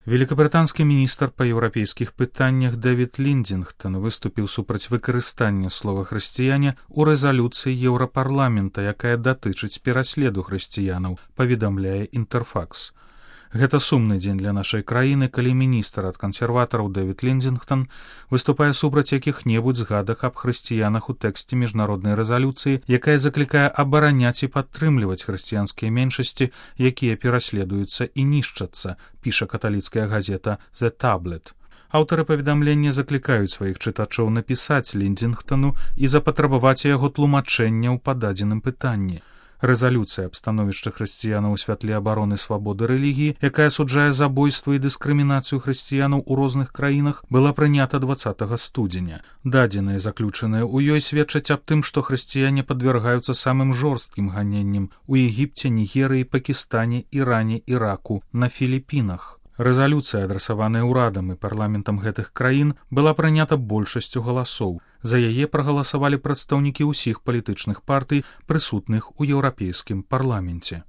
Великабрытанскі міністр па еўрапейскіх пытаннях Дэвід Ліндзінгтон выступіў супраць выкарыстання слова «хрысціяне» у рэзалюцыі Еўрапарламента, якая датычыць пераследу хрысціянаў, паведамляе Інтэрфакс. Гэта сумны дзень для нашай краіны, калі міністр ад кансерватараў Дэвід Ліндзінгтон выступае супраць якіх-небудзь згадак аб хрысціянах у тэксце міжнароднай рэзалюцыі, якая заклікае абараняць і падтрымліваць хрысціянскія меншасці, якія пераследуюцца і нішчацца, піша каталіцкая газета «The Tablet». Аўтары паведамлення заклікаюць сваіх чытачоў напісаць Ліндзінгтону і запатрабаваць яго тлумачэнняў па дадзеным пытанні. Рэзалюцыя аб становішчы хрысціянаў у святле абароны свабоды рэлігіі, якая асуджае забойства і дыскрымінацыю хрысціянаў у розных краінах, была прынята 20 студзеня. Дадзеныя, заключаныя ў ёй, сведчаць аб тым, што хрысціяне падвяргаюцца самым жорсткім ганенням у Егіпце, Нігерыі, Пакістане, Іране, Іраку, на Філіпінах. Рэзалюцыя, адрасаваная ўрадам і парламентам гэтых краін, была прынята большасцю галасоў. За яе прагаласавалі прадстаўнікі ўсіх палітычных партый, прысутных у еўрапейскім парламенце.